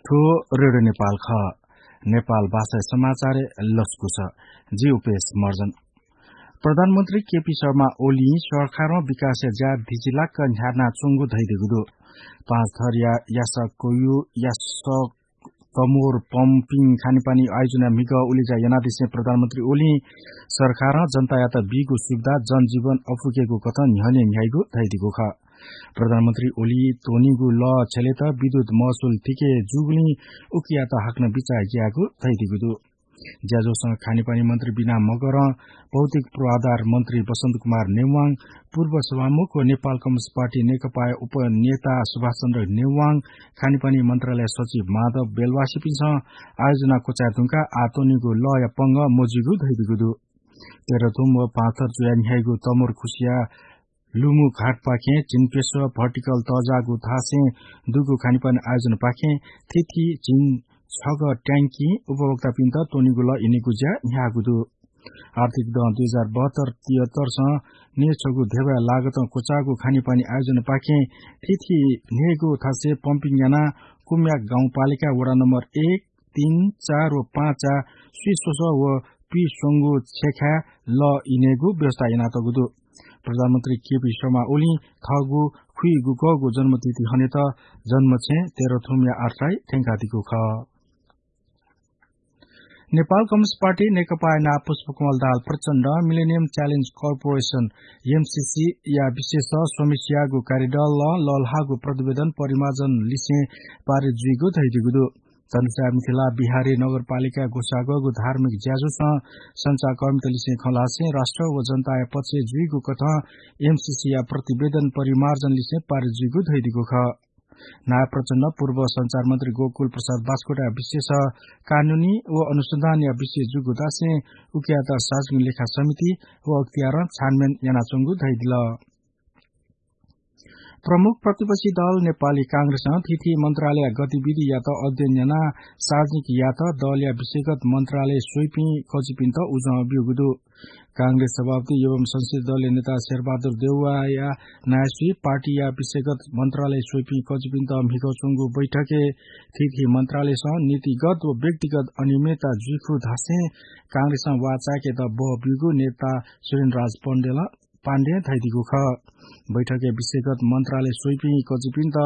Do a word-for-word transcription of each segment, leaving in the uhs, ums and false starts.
थ्व रेडियो नेपाल खः। नेपाल भाषाया समाचारय् लसकुस। जि उपेश महर्जन। प्रधानमन्त्री केपी शर्मा ओलीं सरकारं विकासया ज्या धिचिलाक न्ह्यानाच्वंगु धयादीगु दु। पाँचथरया यासकयु यासक तमोर पम्पिङ खानेपानी आयोजनया म्हिगः उलेज्या यानादिसें प्रधानमन्त्री ओलीं सरकारं जनतायात बीगु सुविधा जनजीवन अपुकेगु कथं न्ह्यःने न्ह्याइगु धयादीगु खः। प्रधानमन्त्री ओलीं त्वनीगु लः छ्यलेत विद्युत महसुल थिके जूगुलिं उकियात हाकनं बिचाः यायेगु धयादीगु दु। ज्याझ्वलं खानेपानी मन्त्री बिना मगरं, भौतिक पूर्वाधार मन्त्री बसन्त कुमार नेवाङ, पूर्व सभामुख व नेपाल कम्युनिस्ट पार्टी नेकपाया उपनेता सुभाष चन्द्र नेवाङ, खानेपानी मन्त्रालय सचिव माधव बेलवासीपिन्सं आयोजना क्वचाये धुंकाः आः त्वनीगु लःया पंगः मजुइगु धयादीगु दु। तेह्रथुम व पाँचथर जुया न्ह्याइगु तमोर खुसिया लुमु घाटपाखें झिंप्यसः भर्टिकल तःजाःगु थासय् दुगु खानेपानी आयोजनापाखें थीथी झिंछगः ट्याङ्किं उपभोक्तापिन्त त्वनीगु लः इनेगु ज्या न्ह्याःगु दु। आर्थिक दँ दुई हजार बहत्तर तिहत्तरसं न्हय्छगू ध्यबाया लागतं क्वचाःगु खानेपानी आयोजनापाखें थीथी न्हय्गू थासय् पम्पिङ यानाः कुम्याक गाउँपालिका वडा नम्बर एक, तीन, चार व पाँचया स्वीस्वसः व पिस्वंगू छेँखाय् लः इनेगु व्यवस्था यानातःगु दु। प्रधानमन्त्री केपी शर्मा ओलीं थःगु खुइगुगःगु जन्मतिथि हनेत जन्मछेँ तेह्रथुमया आर्तताय् थ्यंकादीगु खः। नेपाल कम्युनिस्ट पार्टी नेकपाया नायः पुष्पकमल दाहाल प्रचण्डं Millennium Challenge Corporation, एमसीसी या विशेष समीक्षायागु कार्यदलं लःल्हाःगु प्रतिवेदन परिमार्जन लिसें पारित जुइगु धयादीगु दु। धनुषा मिथिला बिहारी नगरपालिकाय् ग्वसाःगु धार्मिक ज्याझ्वलं सञ्चारकर्मीतलिसें खँ ल्हासें राष्ट्र व जनताया पक्षय् जुइगु कथं एमसीसी या प्रतिवेदन परिमार्जन लिसें पारित जुइगु धयादीगु खः। नायः प्रचण्डं पूर्व सञ्चार मन्त्री गोकुल प्रसाद बास्कोटाया विशेष कानूनी व अनुसन्धानया विषय जूगु धासें उकियात सार्वजनिक लेखा समिति व अख्तियारं छानबिन यानाच्वंगु धयादिल। प्रमुख प्रतिपक्षी दल नेपाली कांग्रेसं थीथी मन्त्रालयया गतिविधियात अध्ययन यानाः सार्वजनिक यायेत दलया विषयगत मन्त्रालय स्वइपिं कजिपिन्त उजं ब्यूगु दु। कांग्रेस सभापति एवं संसदीय दलया नेता शेरबहादुर देउवाया नायःसुइ पार्टीया विषयगत मन्त्रालय स्वइपिं कजिपिन्त म्हिगः च्वंगु बैठकय् थीथी मन्त्रालयसं नीतिगत व व्यक्तिगत अनियमितता जुइखु धासें कांग्रेसं वाःचायेकेत बः ब्यूगु नेता सुरेन्द्रराज पौडेलं पाण्डें धयादीगु खः। बैठकय् विषयगत मन्त्रालय स्वइपिं कजिपिन्त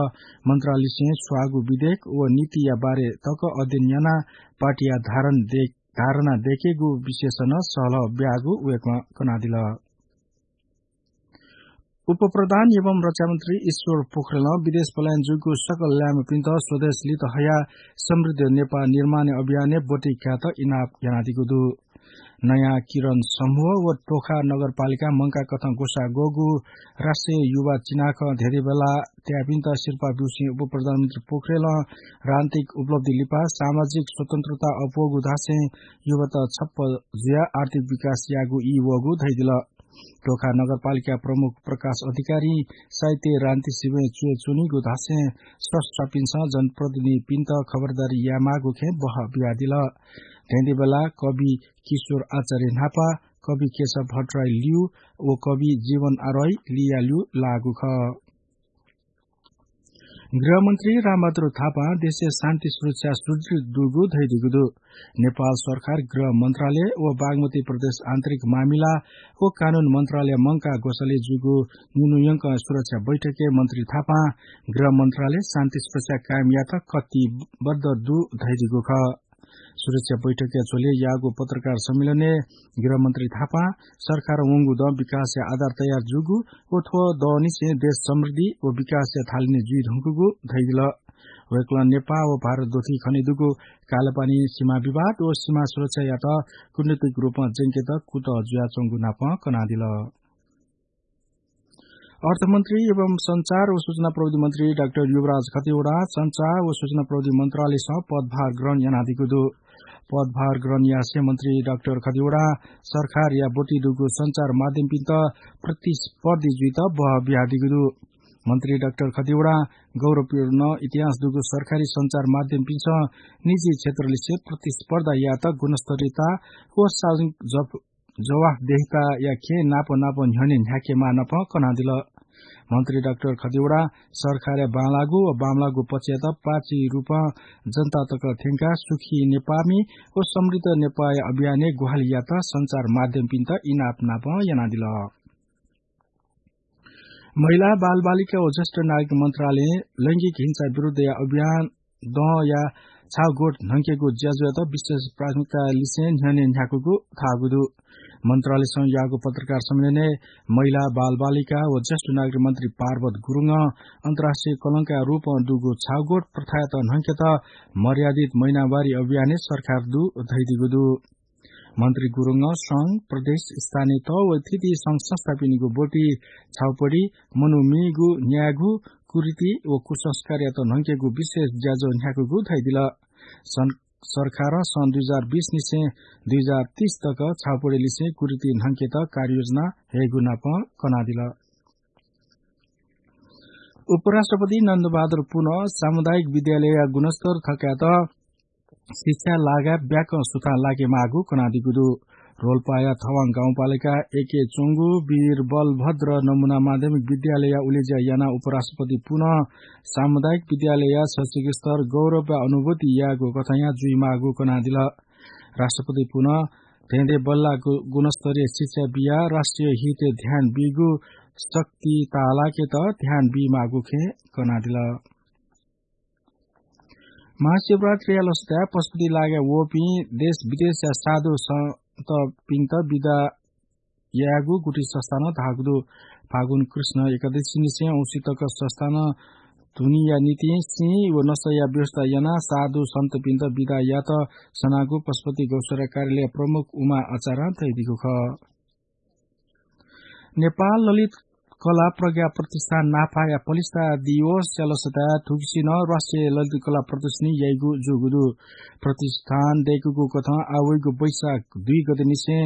मन्त्रालयलिसें स्वाःगु विधेयक व नीतिया बारे तक अध्ययन यानाः पार्टीया धारण दे-, धारणा दयेकेगु विषयस नं सहलह ब्याःगु वय्कलं कनादिल। उपप्रधान एवं रक्षा मन्त्री ईश्वर पोखरेलं विदेश पलायन जूगु सकल ल्याय्म्हपिन्त स्वदेश लित हयाः समृद्ध नेपाः निर्माणया अभियानय् ब्वति कायेत इनाप यानादीगु दु। नयाँ किरण समूह व टोखा नगरपालिकां मंकाः कथं ग्वसाः ग्वःगु राष्ट्रिय युवा चिनाखँ धेंधेंबेला तयापिन्त सिरपाः ब्यूसें उपप्रधानमन्त्री पोखरेलं राजनीतिक उपलब्धि लिपा सामाजिक स्वतन्त्रता अप्वःगु धासें युवात छप्पँ जुयाः आर्थिक विकास यायेगु ई वःगु धयादिल। टोखा नगरपालिका प्रमुख प्रकाश अधिकारीं साहित्य राजनीति सिबें च्वय् च्वनीगु धासें संस्थापिन्सं जनप्रतिनिधिपिन्त खबरदारी यायेमाःगु खँय् बहः बियादिल। धेंधेंबेला कवि किशोर आचार्य न्हापा, कवि केशव भट्टराई ल्यू व कवि जीवन आरोही लिया ल्यू लाःगु खः। गृहमन्त्री रामबहादुर थापां देशय् शान्ति सुरक्षा सुदृढ दुगु धयादीगु दु। नेपाल सरकार गृह मन्त्रालय व बागमती प्रदेश आन्तरिक मामिला व कानून मन्त्रालय मंकाः ग्वसालय् जूगु निन्हु यंकं सुरक्षा बैठकय् मन्त्री थापां गृह मन्त्रालय शान्ति सुरक्षा कायम यायेत कटिबद्ध दु धयादीगु खः। सुरक्षा बैठकया झ्वलय् याःगु पत्रकार सम्मेलनय् गृहमन्त्री थापां सरकारं वंगु दँ विकासया आधार तयार जूगु व थ्व दँनिसें देश समृद्धि व विकासया थालनी जुइ धुंकूगु धयादिल। वय्कलं नेपाः व भारत द्वथुइ खनेदुगु कालापानी सीमा विवाद व सीमा सुरक्षायात कूटनीतिक रूपं ज्यंकेत कुतः जुयाच्वंगु नापं कनादिल। अर्थमन्त्री एवं सञ्चार व सूचना प्रविधि मन्त्री डाक्टर युवराज खतिवडां सञ्चार व सूचना प्रविधि मन्त्रालयसं पदभार ग्रहण यानादीगु दु। पदभार ग्रहण यासें मन्त्री डाक्टर खतिवडां सरकारया ब्वति दुगु सञ्चार माध्यमपिन्त प्रतिस्पर्धी जुइत बहः बियादीगु दु। मन्त्री डाक्टर खतिवडां गौरवपूर्ण इतिहास दुगु सरकारी सञ्चार माध्यमपिन्सं निजी क्षेत्रलिसे प्रतिस्पर्धा यायेत गुणस्तरीयता व सार्वजनिक जफ-, जवाफदेहिताया खँय् नाप नाप न्ह्यःने न्ह्याकेमाः नापं कनादिल। मन्त्री डाक्टर खतिवडा सरकारया बांलाःगु व बांमलाःगु पक्षयात पार्टी रूपं जनता तक थ्यंकाः सुखी नेपाःमि व समृद्ध नेपाःया अभियानय् ग्वाहालि यात सञ्चार माध्यमपिन्त इनाप नाप यानादिल। महिला, बालबालिका व ज्येष्ठ नागरिक मन्त्रालयं लैंगिक हिंसा विरुद्धया अभियान दँया छाउगोट न्हंकेगु ज्याझ्वःयात विशेष प्राथमिकता लिसें न्ह्यःने न्ह्याकूगु धाःगु दु। मन्त्रालयसं याःगु पत्रकार सम्मेलनय् महिला, बालबालिका व ज्येष्ठ नागरिक मन्त्री पार्वत गुरुङं अन्तर्राष्ट्रिय कलंकया रूपं दुगु छाउगोट प्रथायात न्हंकेत मर्यादित महिनावारी अभियानय् सरकार दु धयादीगु दु। मन्त्री गुरुङं संघ, प्रदेश, स्थानीय तह व थीथी संघ संस्थापिनिगु ब्वति, छाउपडी, मनूमिगु न्यायेगु कुरीति व कुसंस्कारयात न्हंकेगु विशेष ज्याझ्वः न्ह्याकूगु धयादिल। सं-, सरकारं सन् दुई हजार बीस निसें दुई हजार तीस तक छाउपडी लिसें कुरीति न्हंकेत कार्ययोजना हयेगु नाप कनादिल। उपराष्ट्रपति नन्दबहादुर पुनं सामुदायिक विद्यालयया गुणस्तर थकायेत शिक्षा लागाय् ब्याकं सुथां लाकेमाःगु कनादीगु दु। रोल्पाया थवां गाउँपालिका एकय् च्वंगु वीर बलभद्र नमुना माध्यमिक विद्यालयया उलेज्या यानाः उपराष्ट्रपति पुनं सामुदायिक विद्यालयया शैक्षिक स्तर गौरवया अनुभूति यायेगु कथंया जुइमाःगु कनादिल। राष्ट्रपति पुनं धेंधेंबल्लाः गु-, गुणस्तरीय शिक्षा बियाः राष्ट्रिय हितय् ध्यान बीगु शक्ति ताःलाकेत ध्यान बीमाःगु खँय् कनादिल। महाशिवरात्रिया लसताय् पशुपति लागाय् वःपिं देश विदेशया साधु सन्तपिन्त बिदा यायेगु गुठी संस्थानं धाःगु दु। फागुन कृष्ण एकादशी निसें औंसी तक संस्थानं धुनीया निंतिं सिं व नसाया व्यवस्था यानाः साधु सन्तपिन्त बिदा यायेत सनागु पशुपति गौशाला कार्यालय प्रमुख उमा आचार्यं धयादीगु खः। नेपाल ललित कला प्रज्ञा प्रतिष्ठान नाफाया पलिस्था दिवसया लसताय् थुगुसी नं राष्ट्रिय ललित कला प्रदर्शनी याइगु जूगु दु। प्रतिष्ठानं दय्कूगु कथं आः वइगु वैशाख दुई गते निसें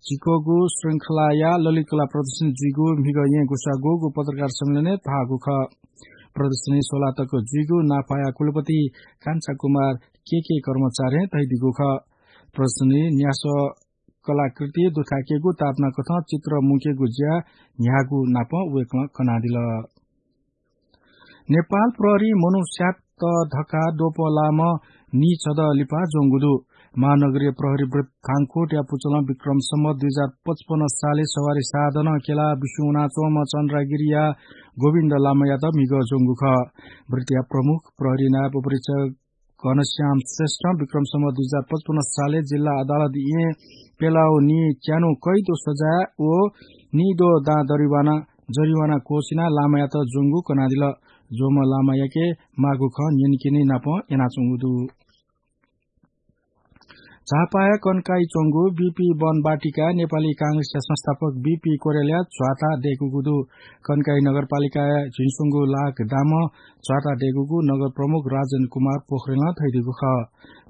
झिक्वःगु श्रृंखलाया ललित कला प्रदर्शनी जुइगु म्हिगः येँ ग्वसाः ग्वःगु पत्रकार सम्मेलनय् धाःगु खः। प्रदर्शनी सोलाः तक जुइगु नाफाया कुलपति कान्छा कुमार केके कर्माचार्यं धयादीगु खः। प्रदर्शनी न्यासः कलाकृति दुथ्याकेगु, तापाना कथं चित्र मुंकेगु ज्या न्ह्याःगु नाप वय्कलं कनादिल। नेपाल प्रहरीं मनू स्यात धकाः द्वपलाःम्ह नीछदँ लिपा ज्वंगु दु। महानगरीय प्रहरी वृत्त थानकोटया पुचलं विक्रम सम्वत दुई हजार पचपन्न सालय् सवारी साधनं क्यलाः बिस्युं वनाच्वंम्ह चन्द्रागिरीया गोविन्द लामायात म्हिगः ज्वंगु खः। वृत्तया प्रमुख प्रहरी नायब उपरीक्षक घनश्याम श्रेष्ठं विक्रम सम्वत दुई हजार पचपन्न सालय् जिल्ला अदालत येँ पेलाव नीच्यान्हु कैद व सजाय व नीद्वः दां दरिवाना, जरिवाना क्वःछिनाः लामायात ज्वंगु कनादिल। ज्वंम्ह लामायाके माःगु खँ न्यनेकेने नाप यानाच्वंगु दु। झापाया कन्काई च्वंगु बीपी वन बाटिकाय् नेपाली कांग्रेसया संस्थापक बीपी कोइरालाया ध्वाता दय्कूगु दु। कन्काई नगरपालिकाया झिंस्वंगू लाख दामं ध्वाता दय्कूगु नगर प्रमुख राजेन्द्र कुमार पोखरेलं धयादीगु खः।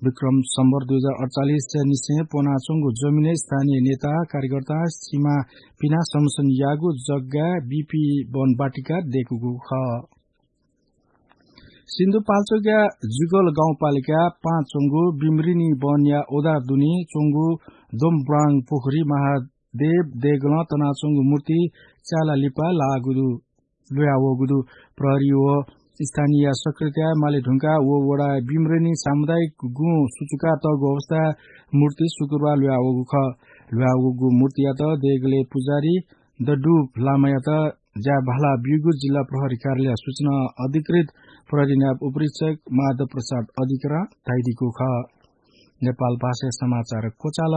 विक्रम सम्वत दुई हजार अठचालिस निसें प्वनाच्वंगु जमिनय् स्थानीय नेता, कार्यकर्ता, सिमा पिनाः संरक्षण याःगु जग्गाय् बीपी वन बाटिका दय्कूगु खः। सिन्धुपाल्चोकया जुगल गाउँपालिका पाँच च्वंगु बिमरिनी वनया ओदार दुने च्वंगु दोमब्राङ पोखरी महादेव देगलं तनाच्वंगु मूर्ति च्याला लिपा लाःगु दु, ल्हुयावःगु दु। प्रहरी व स्थानीय सक्रियताय् माले धुंकाः व वडाय् बिमरिनी सामुदायिक गुँ सुचुकातःगु अवस्थाय् मूर्ति शुक्रबार ल्हुयावःगु खः। ल्हुयावःगु मूर्तियात देगलय् पुजारी दडुप लामायात ज्या भाला ब्यूगु जिल्ला प्रहरी कार्यालय सूचना अधिकृत प्रहरी नायब उपरीक्षक माधव प्रसाद अधिकारीं धयादीगु खः। नेपाल भाषाय् समाचार क्वचाल।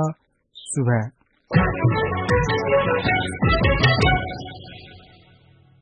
सुभाय्।